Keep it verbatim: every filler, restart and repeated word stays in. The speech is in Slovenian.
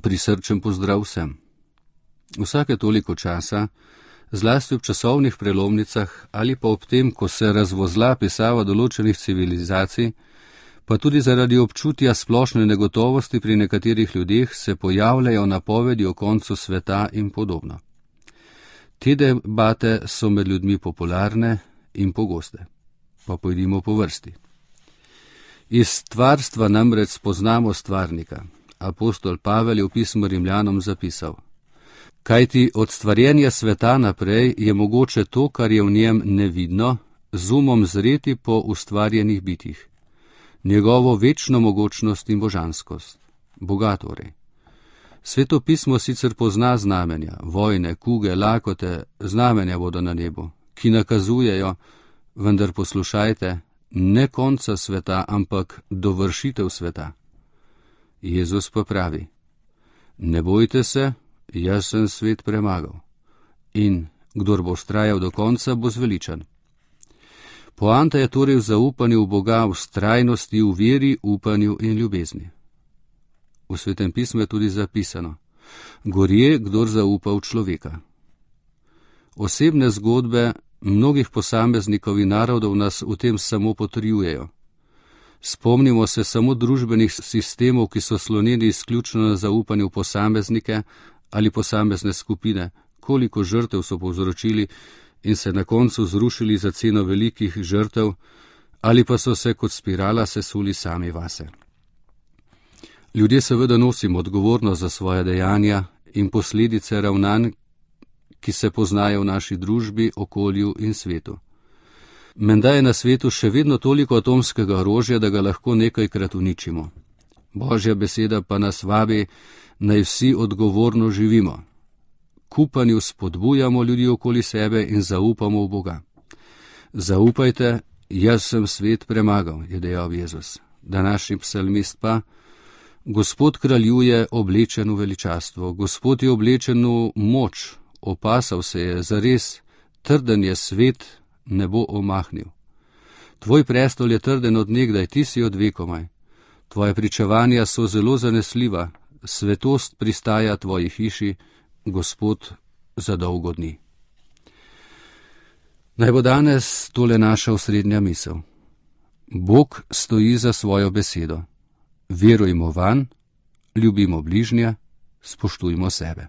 Prisrčen pozdrav vsem. Vsake toliko časa, zlasti ob časovnih prelomnicah ali pa ob tem, ko se razvozla pisava določenih civilizacij, pa tudi zaradi občutja splošne negotovosti pri nekaterih ljudeh se pojavljajo napovedi o koncu sveta in podobno. Te debate so med ljudmi popularne in pogoste. Pa pojdimo po vrsti. Iz stvarstva namreč spoznamo stvarnika. Apostol Pavel je v pismu Rimljanom zapisal: kajti od stvarjenja sveta naprej je mogoče to, kar je v njem nevidno, z umom zreti po ustvarjenih bitjih. Njegovo večno mogočnost in božanskost. Boga torej. Sveto pismo sicer pozna znamenja, vojne, kuge, lakote, znamenja bodo na nebu, ki nakazujejo, vendar poslušajte, ne konca sveta, ampak dovršitev sveta. Jezus pa pravi: ne bojte se, jaz sem svet premagal. In kdor bo vztrajal do konca, bo zveličan. Poanta je torej v zaupanju v Boga, v vztrajnosti, v veri, upanju in ljubezni. V Svetem pismu je tudi zapisano: gorje, kdor zaupa v človeka. Osebne zgodbe mnogih posameznikov in narodov nas v tem samo potrjujejo. Spomnimo se samo družbenih sistemov, ki so slonili izključno na zaupanju v posameznike ali posamezne skupine, koliko žrtev so povzročili in se na koncu zrušili za ceno velikih žrtev, ali pa so se kot spirala sesuli sami vase. Ljudje seveda nosimo odgovornost za svoje dejanja in posledice ravnanj, ki se poznajo v naši družbi, okolju in svetu. Menda je na svetu še vedno toliko atomskega orožja, da ga lahko nekajkrat uničimo. Božja beseda pa nas vabi, naj vsi odgovorno živimo. K upanju spodbujamo ljudi okoli sebe in zaupamo v Boga. Zaupajte, jaz sem svet premagal, je dejal Jezus. Današnji psalmist pa: Gospod kraljuje oblečen v veličastvo, Gospod je oblečen v moč, opasal se je, zares, trden je svet, ne bo omahnil. Tvoj prestol je trden od nekdaj, ti si od vekomaj. Tvoje pričevanja so zelo zanesljiva, svetost pristaja tvoji hiši, Gospod za dolgo dni. Naj bo danes tole naša osrednja misel. Bog stoji za svojo besedo. Verujmo vanj, ljubimo bližnje, spoštujmo sebe.